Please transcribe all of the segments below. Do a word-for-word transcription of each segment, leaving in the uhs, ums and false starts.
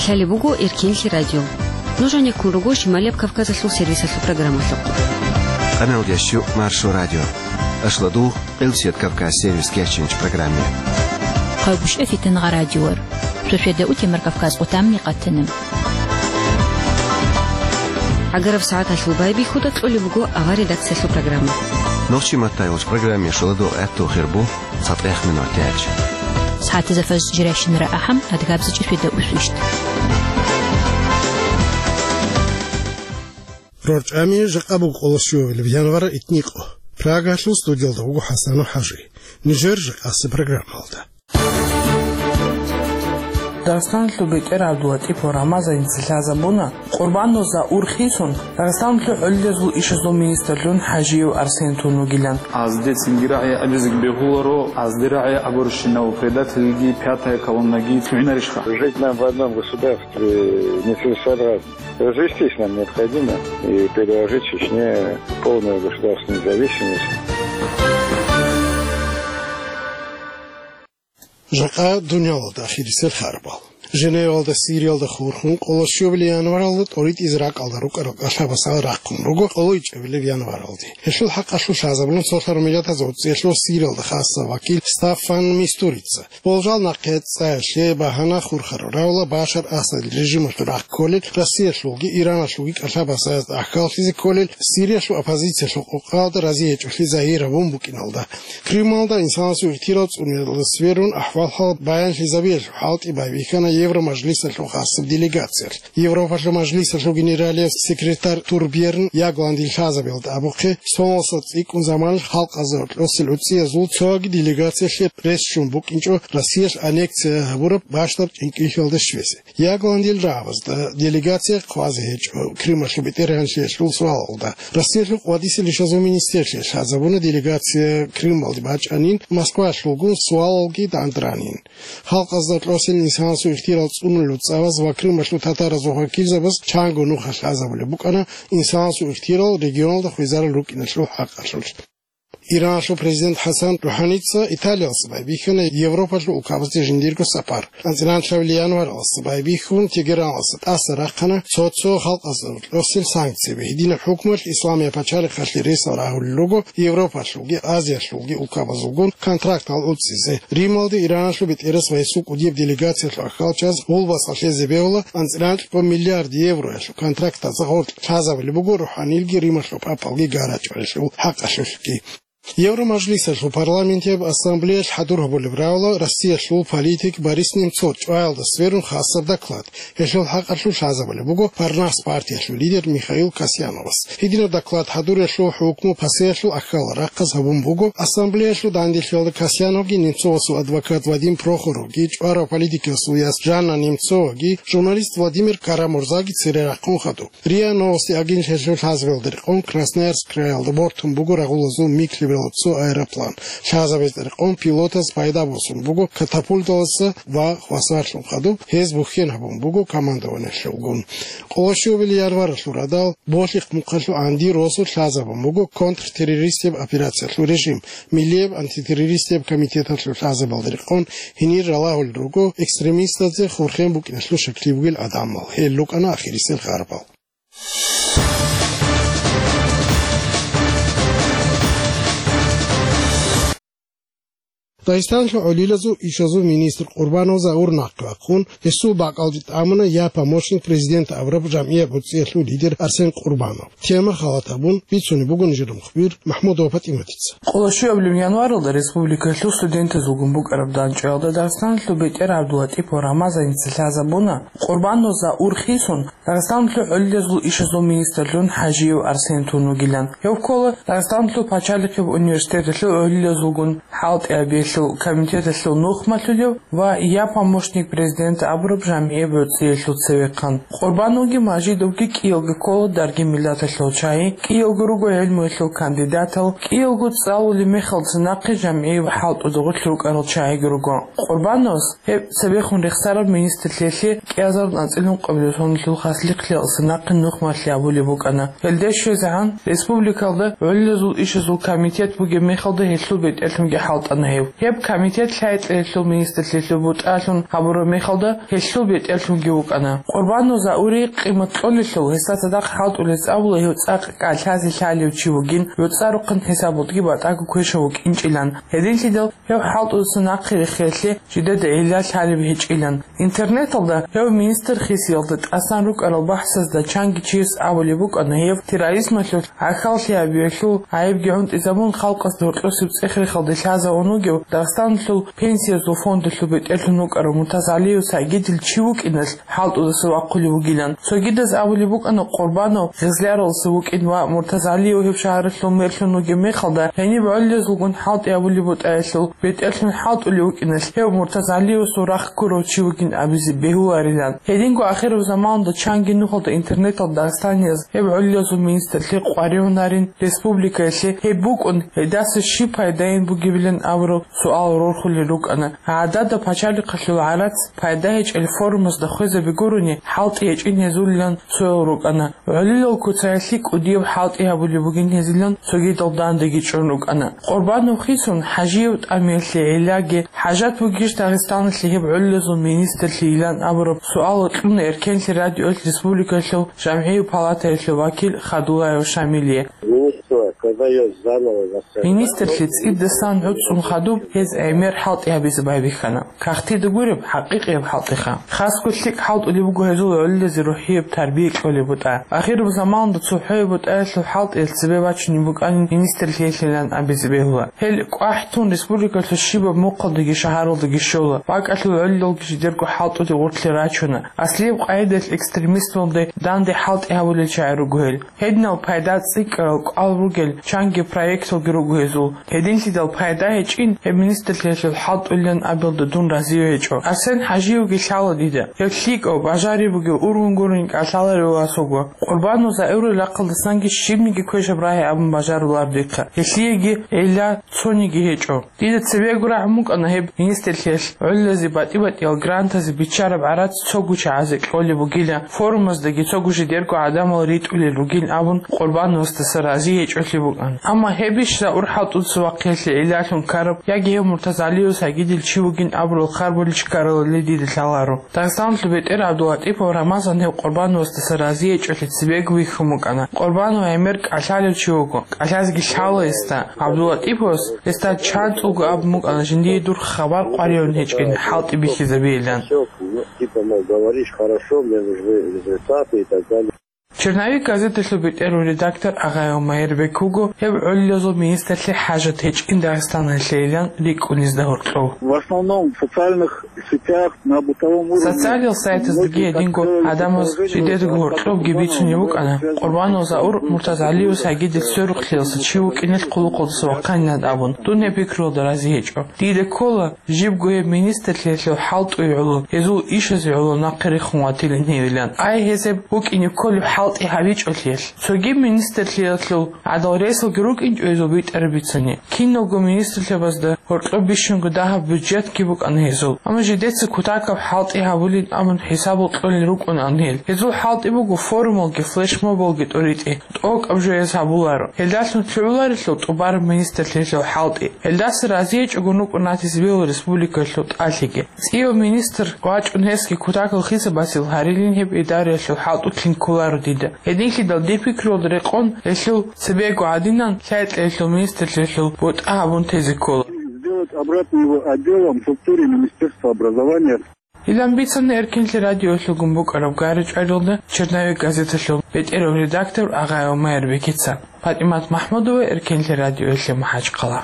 Лъалеб буго Эркенлъи радио. Нуж гьанеккун руго Шималияб Кавказалъул сервисалъул программалъухъ. Къаналдящу Маршо радио. Ашладугъ Къилсият Кавказ сервис кечинч программе. Къайбушев Фитангъа радиор. Шошведа утемар Кавказ отамни къатана. ГӀагараб сагӀаталъул байбихьуда кьолеб буго авар редакциялъул программа. Нохчи матайулч программе шоладугъ гӀатту хирбу. ЦатӀех минут яч. СагӀатазда фажр жирайщинара ахӀам, адгабзичӀи феда усвищт. РорчӀами жакъа буго къоло щуабилеб январ итникъо. Прагалъул студиялда вуго ХӀасану ХӀажи. Нижер жакъаси программалда. Дагъистаналъул бетӀер ГӀабдулатӀипов Рамазаница лъазабуна, Къурбаноза урхъ хисун, Дагъистаналъул гӀолидазул ишазул министрлъун ХӀажиев Арсен тун вугилан. Азде цинги рагӀи абизеги бегьуларо, азде рагӀи абурщинав предательги, пятая колоннаги лъугӀинарищха? Жить нам в одном государстве нецелесообразно. Развестись нам необходимо и предложить Чечне полную государственную независимость. Жакъа дунялалда ахирисел харбал. Женевалда Сириялда хурхун, къоло щуабилеб январалда тӀоритӀизе ракӀалда рукӀарал кӀалъабасал рахъун руго къоло ичӀабилеб январалде. Гьелъул хӀакъалъулъ лъазабулин цолъарал миллатазул цӀиялъул Сириялда хасаб вакил Стаффан Мистурица. Болжал нахъе цӀаялъе багьана хурхарав равла Башар Асад режималъул рахъ кколел, Россиялъулги Ираналъулги кӀалъабасазда ахӀкаллъизе кколел, Сириялъул оппозициялъул къокъалда рази гьечӀолъи загьир гьабун букӀиналда. Крымалда инсанасул ихтирал цӀунулда сверун ахӀвал-хӀал баянлъизабиялъул хӀалтӀи байбихьана Евромажлисалъул хасаб делегациялъ. Европалъул мажлисалъул генералияб секретарь Турбьерн Ягландил лъазабиялда абухъе, соналса цӀикӀкӀун заманалъ халкъазда гьоркьосел уцӀиязул цоги делегациялъе пресс ччун букӀинчӀо Россиялъ аннексия гьабураб бащдаб чӀинкӀиллъиялда щвезе. Ягландил рагӀабазда делегация хъвазе гьечӀо Крымалъул бетӀергьанлъиялъул суалалда. Россиялъул къвадисел ишазул министрлъи лъазабуна делегация Крымалде бачӀанин, Москваялъулгун суалалги дандранин. Халкъазда кьосел инсанасул ихтирал цӀунулев цӀабаз ва Крымалъул татаразул вакилзабаз чанго нуха лъазабулеб букӀана инсанасул ихтирал регионалда хвезарал рукӀиналъул хӀакъалъулъ. Ираналъул президент ХӀасан РухӀаница Италиялдаса байбихьана Европалъул улкабазде жиндирго сапар. АнцӀила январалдаса байбихьун Тегераналдаса тӀаса рахъана цо-цо халкъазда кьосел санкцияби. Гьединаб хӀукмуялъ Исламияб пачалихъалъе ресал рагьулел руго Европалъулги Азиялъулги улкабазулгун контрактал уцӀизе. Рималде Ираналъул бетӀерас ва гьесул кӀудияб делегациялъул ахӀкалчияз гъулбаса лъезе бегьула анцӀила миллиард евроялъул контрактазда гъоркь лъазабулеб буго РухӀанилги Рималъул папалги гара чӀваялъул хӀакъалъулъги. Евромажлисалъул парламентияб ассамблеялъ хӀадур гьабулеб равла Россиялъул политик Борис Немцов чӀваялда сверун хасаб доклад. Гьелъул хӀакъалъулъ лъазабулеб буго Парнас партиялъул лидер Михаил Касьяновас. Гьединаб доклад хӀадуриялъул хӀукму пасеялъул ахьалал рахъаз гьабун буго. Ассамблеялъул данделъиялда Касьяновги Немцовасул адвокат Вадим Прохоровги, чӀварав политикиясул яс Жанна Немцоваги, журналист Владимир Карамурзаги цере рахъун хадуб. РИА Новости агенталъул лъазабиялда рекъон Красноярск краялда бортун буго рагъулазул МиГ лъеберал цо аэроплан. Лъазабиялда рекъон пилотаз пайда босун буго катапульталдаса ва хвасарлъун хадуб, гьез бухьен гьабун буго командованиялъулгун. Къоло щуабилеб январалъул радал Болъихъ мухъалъул гӀанди росулъ лъазабун буго контртеррористияб операциялъул режим. Миллияб антитеррористияб комитеталъул лъазабиялда рекъон гьенир ралагьулел руго экстремистазе хурхен букӀиналъул щаклъи бугел гӀадамал. Гьел рукӀана ахирисел харбал. Дагъистаналъул гӀолилазул ишазул министр Къурбанов Заур нахъе вахъун, гьесул бакӀалде тӀамуна я помощник президента абураб жамгӀияб гӀуцӀиялъул лидер Арсен Къурбанов. Тема халат гьабун бицунеб буго нижер мухбир МахӀмудова ПатӀиматица. Къоло щуабилеб январалда республикалъул студентазулгун букӀараб дандчӀваялда Дагъистаналъул бетӀер ГӀабдулатӀипов Рамазаница лъазабуна, Къурбаноза урхисун, Дагъистаналъул гӀолидазул ишазул министрлъун ХӀажиев Арсен тун вугилан. Гьев ккола Дагъистаналъул пачалихъияб университеталъул гӀолидазулгун хӀалтӀи гьабиялъул комитеталъул нухмалъулев ва я помощник президента абураб жамгӀияб гӀуцӀиялъул цевехъан. Къурбановги Мажидовги кӀиялго ккола дарги миллаталъул чагьи, кӀиялго руго гӀелмуялъул кандидатал, кӀиялго цӀалулеб мехалца нахъе жамгӀияв хӀалтӀуда гъорлъ рукӀарал чагьиги руго. Къурбановас гьеб цебехун рехсараб министрлъиялъе кӀиазарун анцӀила ункъабилеб соналъул хаслихълъиялдаса нахъе нухмалъи абулеб букӀана. Гьелде щвезегӀан республикалда гӀолилазул ишазул комитет бугеб мехалда гьелъул бетӀерлъунги хӀалтӀана гьев. Гьеб комитет лъай-кьеялъул министрлъиялъул бутӀалъун гьабураб мехалда гьелъул бетӀерлъунги вукӀана. Къурбанов Заури къимат кьолелъул, гьесда цадахъ хӀалтӀулел цӀабула гьев цӀакъ кӀалъазе лъалев чи вугин, гӀуцӀарухъан хӀисабалдги батӀаго квешав вукӀинчӀилан. Гьединлъидал гьев хӀалтӀудаса нахъе рехиялъе жидеда гӀилла лъалеб гьечӀилан. Интернеталда гьев министр хисиялда тӀасан рукӀарал бахӀсазда чанги чияс абулеб букӀана гьев терроризмалъул гӀахьаллъи гьабиялъул гӀайибги гӀунтӀизабун, халкъасда гьоркьосеб цӀех-рехалде лъазавун вугев Дагъистаналъул пенсиязул фондалъул бетӀерлъун вукӀарав Муртазгьалиев Сагидил чи вукӀиналъ хӀалтӀудаса вахъулев вугилан. Цогидаз абулеб букӀана Къурбанов Гъизляралдаса вукӀин ва Муртазгьалиев гьеб шагьаралъул мэрлъун вугеб мехалда, гьениб гӀоллазулгун хӀалтӀи гьабулеб бутӀаялъул бетӀерлъун хӀалтӀулев вукӀиналъ, гьев Муртазгьалиевасул рахъ ккурав чи вугин абизе бегьуларилан. Гьединго ахираб заманалда чанги нухалда интернеталда дагъистанияз гьеб гӀоллазул министрлъи къваригӀунарин республикаялъе, гьеб букӀун, гьелдаса щиб пайдайин бугебилан абураб суал рорхулел рукӀана. ГӀадада пачалихъалъул гӀарац пайда гьечӀел форумазда хвезаби гурони, хӀалтӀи гьечӀин гьезулилан цоял рукӀана. ГӀолилал куцаялъе кӀудияб хӀалтӀи гьабулеб бугин гьезилан цогидал дандаги чӀун рукӀана. Къурбанов хисун, ХӀажиев тӀамиялъе гӀиллаги, хӀажат бугищ Дагъистаналъе гьеб гӀоллазул министрлъийилан абураб суал кьуна Эркенлъи радиоялъ республикалъул жамгӀиял палатаялъул вакил Хадулаев Шамилие. Министр, когда её заново восстановят, Министрлъи цӀидасан гӀуцӀун хадуб, гьез гӀемер хӀалтӀи гьабизе байбихьана. Кагътида гуреб, хӀакъикъияб хӀалтӀиха. Хасго лъикӀ хӀалтӀулеб буго гьезул гӀолилазе рухӀияб тарбия кьолеб бутӀа. Ахираб заманалда цохӀояб бутӀаялъул хӀалтӀиялъ цебе бачунеб букӀанин министрлъиялъилан абизе бегьула. Гьел кӀвахӀ тун республикалъул щибаб мухъалдаги шагьаралдаги щола. БакӀалъул гӀолилалги жидерго хӀалтӀулел гъоркье рачуна. Аслияб къагӀидаялъ экстремисталде данде хӀалтӀи гьабулел чагӀи руго гьел. Гьединал пайда цӀикӀкӀарал кӀал ругел чанги проекталги руго гьезул. Гьединлъидал пайда гьечӀин, гьеб министрлъиялъул хӀалтӀулилан абиялда дун разиве гьечӀо. Арсен ХӀажиевги лъала дида. Гьев лъикӀав, бажариб бугев, ургъун гурони кӀалъаларев вас вуго. Къурбанов Заури рахъалдасанги щибниги квешаб рагьи абун бажарулар дихъа. Гьелъиеги гӀилла цониги гьечӀо. Дида цебего рагӀун букӀана гьеб министрлъиялъ гӀолилазе батӀи-батӀиял грантазе биччараб гӀарац цого чагӀазе кьолеб бугила, форумаздаги цого жидерго гӀадамал ритӀулел ругин абун, Къурбановасдаса рази гьечӀолъи букӀана. Амма гьебищ Заур хӀалтӀудаса вахъиялъе гӀиллалъун ккараб, яги гьев Муртазгьалиев Сагидил чи вугин абурал харбулищ ккаралали дида лъаларо. Дагъистаналъул бетӀер ГӀабдулатӀипов Рамазан гьев Къурбановасдаса рази гьечӀолъи цебего вихьун букӀана. Къурбанов гӀемер кӀалъалев чи вуго, кӀалъазеги лъала гьесда. ГӀабдулатӀиповас гьесда чанцӀулго абун букӀана жиндие дур хабар къваригӀун гьечӀин хӀалтӀи бихьизабейилан. Типа, мол, говоришь хорошо, мне нужны результаты и так далее. Черновик газеталъул бетӀерав редактор Агъаев Майрбек вуго гьеб гӀолилазул министрлъи хӀажат гьечӀин Дагъистаналъейилан рикӀкӀунезда гьоркьов. В основном в социальных сетях, на бытовом уровне. Социалил сайтаздаги гьединго гӀадамаз жидедаго гьоркьобги бицунеб букӀана, Къурбанов Заур Муртазгьалиев Сагидил сверухълъиялса чи вукӀиналъ хъулухъалдаса вахъанилан абун, дун гьеб пикруялда рази гьечӀо. Дида ккола, жибго гьеб министрлъиялъул хӀалтӀуе гӀоло, гьезул ишазе гӀоло нахъе рехун ватилин гьевилан. Ай, гьез гьеб букӀине кколеб хӀалтӀи гьабичӀолъиялъ. Цоги министрлъиялъул гӀадал ресалги рукӀинчӀо гьезул битӀараб бицани. Киналго министрлъабазда гьоркьоб бищунго дагьаб бюджетги букӀана гьезул. Амма жидеца кутакаб хӀалтӀи гьабулин абун хӀисабал кьолел рукӀунаан гьел. Гьезул хӀалтӀи буго форумалги флешмобалги тӀоритӀи, тӀокӀаб жояз гьабуларо. Гьелдалъун лъугӀуларелъул тӀубараб министрлъиялъул хӀалтӀи. Гьелдаса разиячӀого рукӀун ратизе бегьула республикалъул тӀалъиги. ЦӀияв министр вачӀун гьесги кутакал хисабасел гьарилин гьеб идараялъул хӀалтӀулъин кколаро дида. Гьединлъидал дир пикруялда рекъон гьелъул цебего гӀадинан лъай-кьеялъул министрлъиялъул бутӀа гьабун тезе ккола. Сделать обратно его отделом в структуре Министерства образования. Илан бицана Эркенлъи радиоялъулгун букӀараб гьаричӀварилда Черновик газеталъул бетӀерав редактор Агъаев Майрбекица. ПатӀимат МахӀмудова, Эркенлъи радиоялъе МахӀачхъала.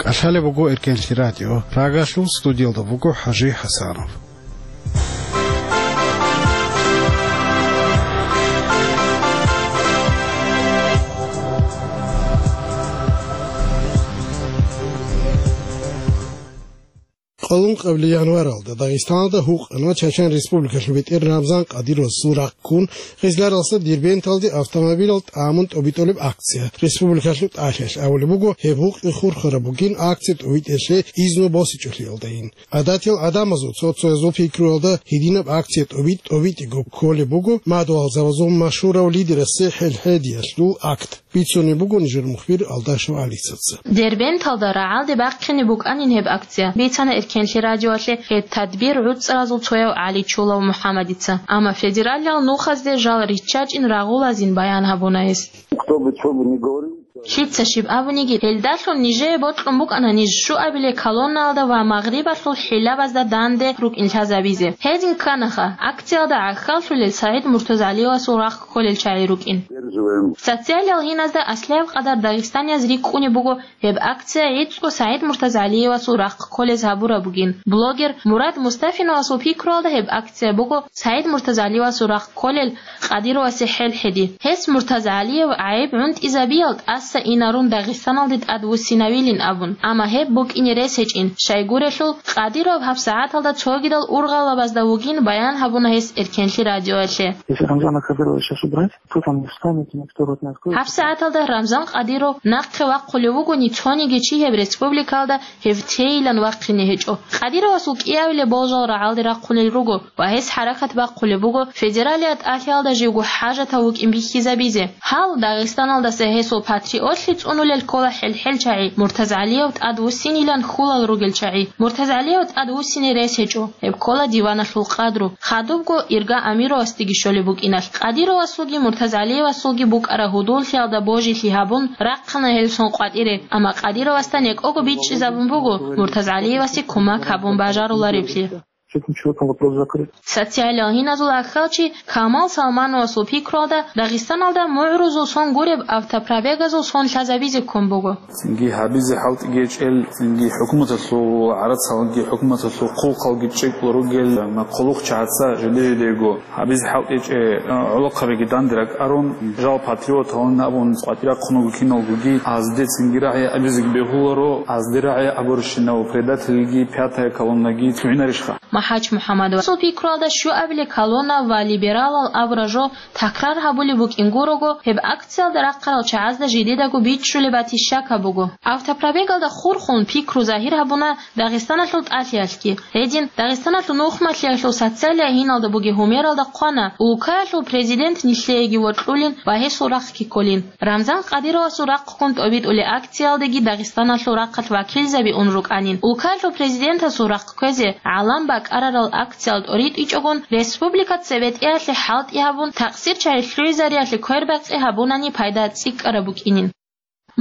КӀалъалеб буго Эркенлъи радио. Прагалъул студиялда вуго ХӀажи ХӀасанов. Къоло ункъабилеб январалда Дагъистаналда гьукъана Чачан Республикалъул бетӀер Рамзан Къадировасул рахъ ккун, Хизларалъа Дербенталде автомобилал тӀамун тӀобитӀулеб акция. Республикалъул тӀалъиялъ абулеб буго, гьеб гьукъи хурхараб бугин акция тӀобитӀиялъе изну босичӀолъиялдайин. ГӀадатиял гӀадамазул цо-цоязул пикруялда гьединаб акция тӀобитӀ-тӀобитӀиго кколеб буго мадугьалзабазул машгьурав лидерасе хӀелхӀедиялъул акт. Бицунеб буго нижер мухбир Алдашев ГӀалисаца. Дербенталда рагӀалде бахъине букӀанин гьеб акция, бицана Эркенлъи радиоялъе гьеб тадбир гӀуцӀаразул цояв ГӀаличулав МухӀаммадица. Амма федералиял нухазде жал риччачӀин рагъулазин баян гьабуна гьес. Кто бы чё бы ни говорил. Лъица щиб абуниги, гьелдалъун нижее бокьун букӀана ниж щуабилеб колоннаялда ва магърибалъул хӀилабазда данде рукӀин лъазабизе. Гьедин кканаха, акциялда гӀахьаллъулел СагӀид МуртазагӀалиевасул рахъ кколел чагӀи рукӀин. Социалиял гьиназда аслияб къадар дагъистанияз рикӀкӀунеб буго гьеб акция гӀицӀго СагӀид МуртазагӀалиевасул рахъ кколез гьабураб бугин. Блогер Мурад Мустафиновасул пикруялда гьеб акция буго СагӀид МуртазагӀалиевасул рахъ кколел Къадировасе хӀелхӀеди. Гьес МуртазагӀалиев гӀайиб гӀунтӀизабиял тӀаса инарун Дагъистаналде тӀадвуссинавилин абун, амма гьеб букӀине рес гьечӀин, щайгурелъул, Къадиров гьабсагӀаталда цогидал ургъалабазда вугин баян гьабуна гьес Эркенлъи радиоялъе. Если Рамзана Кадырова сейчас убрать, кто там не встанет, никто рот не откроет. ГьабсагӀаталда Рамзан Къадиров нахъе вахъулев вугони, цониги чи гьеб республикалда гьев тейилан вахъине гьечӀо. Къадировасул кӀиабилеб болжал рагӀалде рахъунел руго ва гьес хӀаракат бахъулеб буго федералияб тӀалъиялда живго хӀажатав вукӀин бихьизабизе. Гьал Дагъистаналдаса гьесул патриотлъи цӀунулел ккола хӀел-хӀел чагӀи, МуртазагӀалиев тӀадвуссинилан хьулал ругел чагӀи. МуртазагӀалиев тӀадвуссине рес гьечӀо. Гьеб ккола диваналъул къадру. Хадубго Ирга Амировасдеги щолеб букӀиналъ, Къадировасулги МуртазагӀалиевасулги букӀараб гьудуллъиялда божилъи гьабун, рахъана гьел сон къватӀире, амма Къадировасда некӀого бичӀчӀизабун буго МуртазагӀалиевасе кумек гьабун бажарулареблъи. С этим человеком вопрос закрыт. Социалиял гьиназул аххалчи Камал Салмановасул пикруялда, Дагъистаналда мугӀрузул сон гуреб автопробегазул сон лъазабизе ккун буго. Цинги гьабизе хӀалтӀиги гьечӀел, цинги хӀукуматалъул гӀарацалги, хӀукуматалъул хъулухъалги чӀикӀкӀун ругел, амма хъулухъчагӀаца жиде-жидего гьабизе хӀалтӀичӀеб гӀолохъабиги данде ракӀарун, жал патриоталин абун къватӀире рахъун руго киналгоги, азде цинги рагӀи абизеги бегьуларо, азде рагӀи абурщинав предательги пятая колоннаги лъугӀинарищха? МахӀач МухӀаммадовасул пикруялда щуабилеб колонна ва либералал абураб жо такрар гьабулеб букӀин гурого, гьеб акциялда рахъарал чагӀазда жидедаго бичӀчӀулеб батищака буго. Автопробегалда хурхун пикру загьир гьабуна Дагъистаналъул тӀалъиялъги. Гьедин, Дагъистаналъул нухмалъиялъул социалияб гьиналда бугеб гьумералда хъвана, улкаялъул президент нилъееги вокьулин ва гьесул рахъги кколин. Рамзан Къадировасул рахъ ккун тӀобитӀулеб акциялдаги Дагъистаналъул рахъалъ вакилзаби ун рукӀанин. Улкаялъул президентасул рахъ кквезе гӀалам бакӀарарал акциялда тӀоритӀичӀогун, республика цебетӀеялъе хӀалтӀи гьабун, такъсир чагӀи лъугӀизариялъе квербакъи гьабунани пайда цӀикӀкӀараб букӀинин.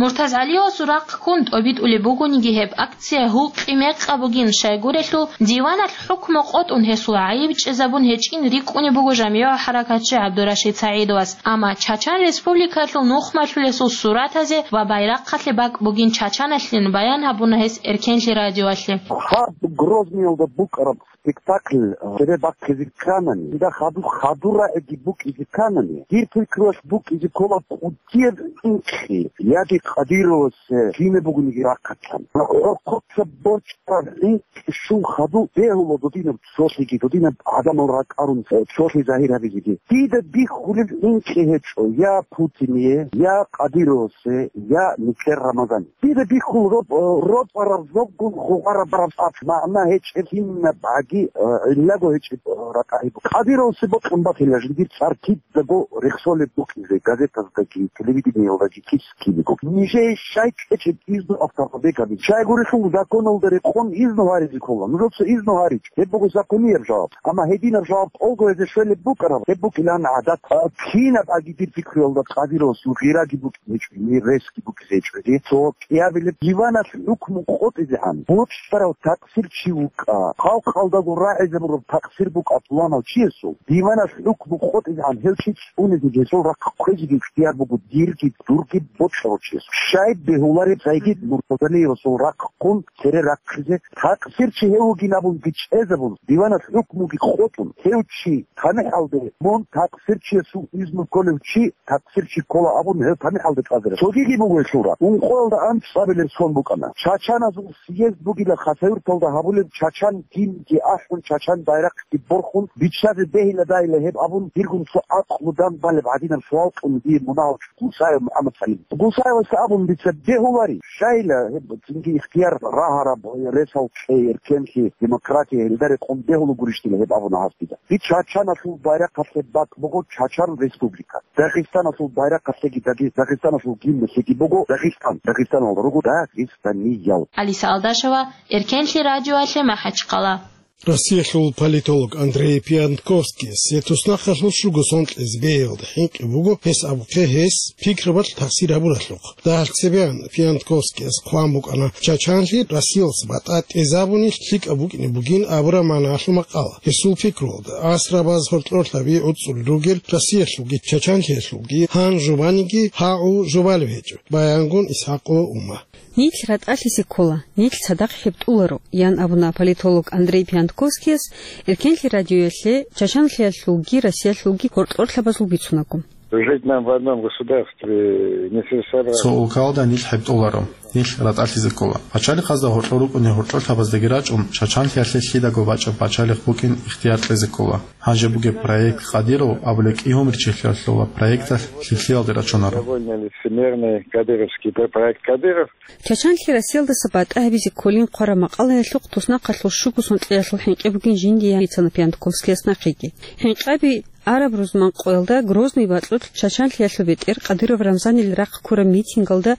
МуртазгӀалиевасул рахъ ккун тӀобитӀулеб бугониги гьеб акция гьукъи-мекъаб бугин, щайгурелъул диваналъ хӀукму къотӀун гьесул гӀайиб чӀезабун гьечӀин рикӀкӀунеб буго жамигӀав хӀаракатчи ГӀабдурашид СагӀидовас. Амма Чачан Республикалъул нухмалъулесул суратазе ва байрахъалъе бакӀ бугин Чачаналъин баян гьабуна гьес Эркенлъи радиоялъе. Гьаб Грозныйалда букӀараб спектакль, э, цебе бахъизе кканани, дида хадуб хадур рагӀиги букӀизе кканани, дир пикруялъ букӀизе ккола кӀудияб инкьи, яги Кадировас, э, кинаб бугониги рахъалъан. ГӀорхъоца борчӀараб инкьи щун хадуб бегьула додинаб цолъиги, додинаб гӀадамал ракӀарун, э, цолъи загьир гьабизеги. Дида бихьулеб инкьи гьечӀо я Путине, я Кадировасе, я нилъер Рамазане. Дида бихьул роб-, э, робараб зобгун гъугъараб бараб тӀад магӀна гьечӀеб, кинаб гӀаги, э, гӀиллаго гьечӀеб, э, ракӀалъ буго. Кадировасе бокьун батила жиндир цӀар кидаго рехсолеб букӀизе, газетаздаги, телевидениялдаги кис кинего. Нижее щай кьечӀеб изну автопробегабизе? Щайгурелъул законалда рекъон изну гьаризе ккола. Нужеца изну гьаричӀо. Гьеб буго законияб жаваб. Амма гьединаб жаваб тӀолго гьезе щвелеб букӀараб, гьеб букӀилан гӀадат. А, кинаб гӀаги дир пикруялда Кадировасул гъираги букӀине гьечӀо, гьесги букӀине гьечӀо. Гьесул кӀиабилеб диваналъ хӀукму къотӀизегӀан бокьарав такъсир чи вукӀа. Халкъалдаго рагӀизабураб такъсир букӀа пуланав чиясул. Диваналъ хӀукму къотӀизегӀан гьев чи цӀунизе гьесул рахъ кквезеги ихтияр буго дирги, дурги бокьарав чи. Щай бегьулареб Сайгид Муртазалиевасул рахъ ккун цере рахъизе, такъсирчи гьев вугин абун бичӀчӀизабун, диваналъ хӀукмуги къотӀун, гьев чи тамихӀалде мун такъсирчиясул изну кколев чи такъсирчи ккола абун гьев тамихӀалде тӀадра. Цогиги буго гьелъул рахъ. Ункъоялда анцӀабилеб сон букӀана. Чачаназул съезд бугила Хасавюрталда гьабулеб, чачан гимнги ахӀун, чачан байрахъги борхун, биччазе бегьиладайила гьеб абун, диргун цо акълу данбалеб гӀадинаб суал кьун дие мунагьал Гусаев МухӀаммад Салим. Гусаевас абун дица бегьулари, щайила гьеб цинги ихтияр рагьараб, ресал кьей, эркенлъи, демократия, гьелда рекъон бегьула гурищ дила гьеб абуна гьас дида. Дид чачаналъул байрахъалъе бакӀ буго Чачан Республика. Дагъистаналъул байрахъалъеги, Дагъи-, Дагъистаналъул гимналъеги буго Дагъистан, Дагъистанал руго дагъистаниял. Алиса Алдашева, Эркенлъи радиоялъе МахӀачхъала. Россиялъул политолог Андрей Пиантковскийас гьеб туснахъалъул щуго сон кьезе бегьиялда хӀинкъи буго, гьес абухъе гьес пикрабалъ тахсир гьабуралъухъ. Дагьалъ цебегӀан Пиантковскийас хъван букӀана Чачанлъи Россиялдаса батӀа тӀезабуни лъикӀаб букӀине бугин абураб магӀналъул макъала. Гьесул пикруялда, асрабаз гьоркьор лъаби гӀуцӀулел ругел Россиялъулги Чачанлъиялъулги гьан жубаниги гьагӀу жубалеб гьечӀо, баянгун ИсхӀакъова Ума. Нилъ ратӀалъизе ккола, нилъ цадахъ хӀебтӀуларо, ян абуна политолог Андрей Пиантковскийас Эркенлъи радиоялъе Чачанлъиялъулги Россиялъулги гьоркьорлъабазул бицунаго. Жить нам в одном государстве не целесообразно. Цо улкалда нилъ хӀебтӀуларо, нилъ ратӀалъизе ккола. Пачалихъазда гьоркьор рукӀунел гьоркьорлъабаздаги рачӀун, Чачанлъиялъе лъидаго бачӀеб пачалихъ букӀин ихтияр кьезе ккола. Гьанже бугеб проект Кадыров абулеб кӀигьумричилъиялъул ва проекталъ лъикӀлъиялде рачунаро. Довольно лицемерный кадыровский пр-, проект Кадыров. Чачанлъи Россиялдаса батӀа гьабизе кколин хъвараб макъалаялъухъ туснахъалъул щуго сон кьеялъул хӀинкъи бугин жиндие бицана Пиантковскияс нахъеги. ХӀинкъаби араб рузман къоялда Грозный бакьулъ Чачанлъиялъул бетӀер Къадыров Рамзанил рахъ ккураб митингалда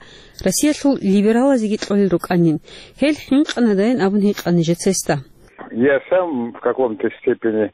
Россиялъул либералазеги кьолел рукӀанин. Гьел хӀинкъанадайин абун гьикъана нижеца гьесда. Я сам в каком-то степени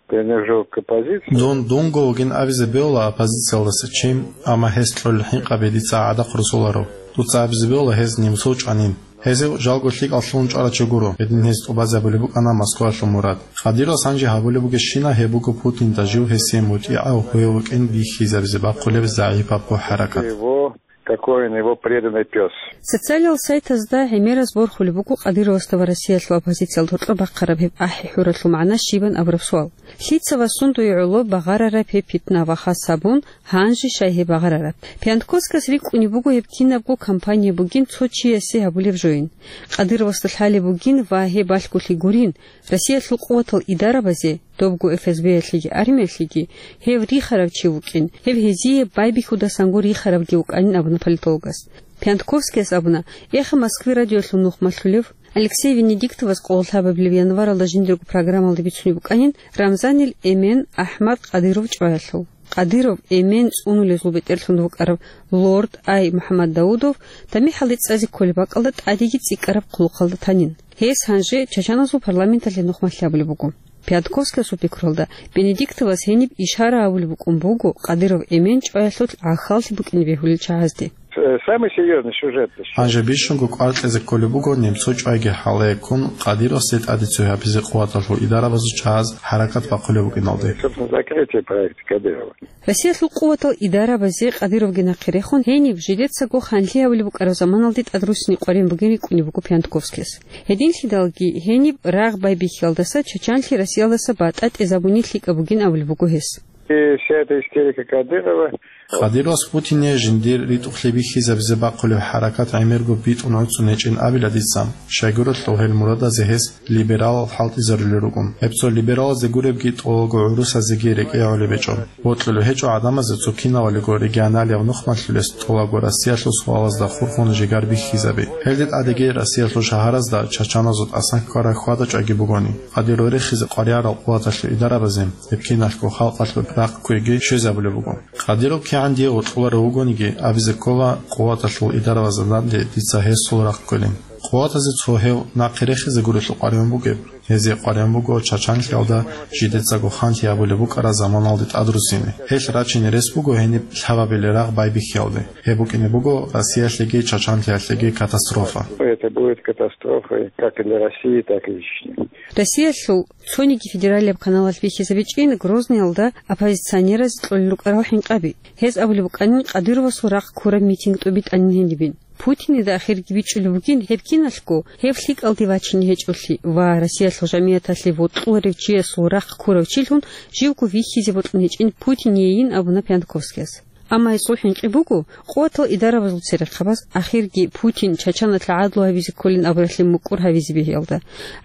принадлежу к оппозиции. Дун дунго вугин абизе бегьула оппозициялдаса чи, амма гьес кьолел хӀинкъаби дица гӀадахъ русуларо. Дуца абизе бегьула гьез немцов чӀванин. Гьезив жалго лъикӀал лъугьун чӀварав чи гуро, гьедин гьез тӀубазабулеб букӀана Москвалъул мурад. Кадыровас гьанже гьабулеб бугебщинаб, гьеб буго Путинда жив гьесие мутӀигӀав гьев вукӀин бихьизабизе бахъулеб загӀипабго хӀаракат. Его, какой он его преданный пёс. Социалиал сайтазда гӀемерас борхулеб буго Кадыровасда ва Россиялъул оппозициялда гьоркьоб бахъараб гьеб ахӀи-хӀуралъул магӀна щибан абураб суал. Лъица ва сундуе гӀоло багъарараб гьеб питна ва хас гьабун, гьанже щай гьеб багъарараб? Пиантковскас рикӀкӀунеб буго гьеб кинабго кампания бугин цо чиясе гьабулеб жоин. Кадыровасда лъалеб бугин ва гьеб балъголъи гурин, Россиялъул къуватал идарабазе, добго ФСБ-ялъеги армиялъеги, гьев рихарав чи вукӀин, гьев гьезие байбихьудасанго рихаравги вукӀанин абуна политологас. Пиантковскияс абуна, Эхо Москвы радиоялъул нухмалъулев Алексей Венедиктовас къоло лъабабилеб январалда жиндирго программалда бицунеб букӀанин Рамзанил эмен АхӀмад Къадиров чӀваялъул. Къадиров эмен цӀунулезул бетӀерлъун вукӀарав лорд Ай МухӀаммад Даудов тамихӀалде цӀазе кколеб бакӀалда тӀадеги цӀикӀкӀараб хъулухъалда танин. Гьес гьанже чачаназул парламенталъе нухмалъ абулеб буго. Пиантковскиясул пикруялда, Венедиктовас гьениб ишара гьабулеб букӀун буго Къадиров эмен чӀваялъул гӀахьаллъи букӀине бегьулел чагӀазде. Э, самый серьёзный сюжет. Гьанже бищунго кӀвар кьезе кколеб буго немцов чӀвайги хӀалае ккун, Къадыровасде тӀаде цояб гьабизе къуваталъул идарабазул чагӀаз хӀаракат бахъулеб букӀиналде. Собственно, закрытие проекта Кадырова. Россиялъул къуватал идарабазе Къадыровги нахъе рехун, гьениб жидецаго ханлъи гьабулеб букӀараб заманалде тӀадруссине къваригӀун бугин рикӀкӀунеб буго Пиантковскияс. Гьединлъидалги гьениб рагъ байбихьиялдаса чачанлъи Россиялдаса батӀа тӀезабуни лъикӀаб бугин абулеб буго гьес. И вся эта истерика Кадырова. Къадыровас Путине жиндир ритӀухълъи бихьизабизе бахъулеб хӀаракат гӀемерго битӀун гӀуцӀун гьечӀин абила дица. Щайгурелъул гьел мурадазе гьес либералал хӀалтӀизарулел рукӀун. Гьеб цо либералазде гуребги тӀолго гӀурусазеги рекӀегӀолеб гьечӀо. Бокьулеб гьечӀо гӀадамазе цо кинавалиго регионалияб нухмалъулес тӀолабго Россиялъул суалазда хурхун жигар бихьизаби. Гьелде тӀадеги Россиялъул шагьаразда чачаназул тӀасан ккараб хьвада-чӀвайги бугони, Къадиров рехизе къваригӀарал къуваталъул идарабазе гьеб киналъго халкъалъул рахъ кквеги щвезабулеб буго. Къадиров кигӀан дие вокьуларев вугониги, абизе ккола, къуваталъул идарабазда данде дица гьесул рахъ кколин. Къуватазе цо гьев нахъе рехизе гурелъул къваригӀун бугеб. Гьезие къваригӀун буго чачанлъиялда жидецаго ханлъи абулеб букӀараб заманалде тӀадрузине. Гьелъ рачине рес буго гьениб лъабабилеб рагъ байбихьиялде. Гьеб букӀине буго Россиялъеги чачанлъиялъеги катастрофа. Это будет катастрофой как и для России, так и для Чечни. Россиялъул цониги федералияб каналалъ бихьизабичӀин Грозныйалда оппозиционераз кьолел рукӀарал хӀинкъаби. Гьез абулеб букӀанин Кадыровасул рахъ ккураб митинг тӀубитӀанин гьенибин. Путинида ахирги бичӀчӀулеб бугин гьеб киналъго гьев лъикӀалде вачине гьечӀолъи ва Россиялъул жамигӀаталъе вокьуларев чиясул рахъ ккурав чилъун живго вихьизе бокьун гьечӀин Путинейин абуна Пьянковскияс. Амма гьесул хӀинкъи буго, къуватал идарабазул церехъабаз ахирги Путин Чачаналъ гӀадлу гьабизе кколин абуралъе мукӀур гьавизе бегьиялда.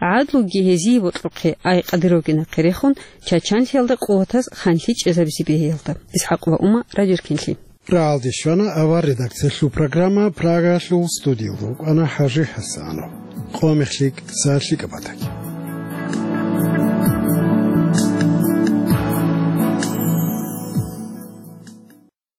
ГӀадлуги гьезие бокьухъе, ай Кадыровги нахъе рехун, чачанлъиялда къуватаз ханлъи чӀезабизе бегьиялда. ИсхӀакъова Ума, Радио Эркенлъи. РагӀалде щвана авар редакциялъул программа, Прагалъул студиялда вукӀана ХӀажи ХӀасанов. Къо мехлъи, цо лъикӀаб батаги.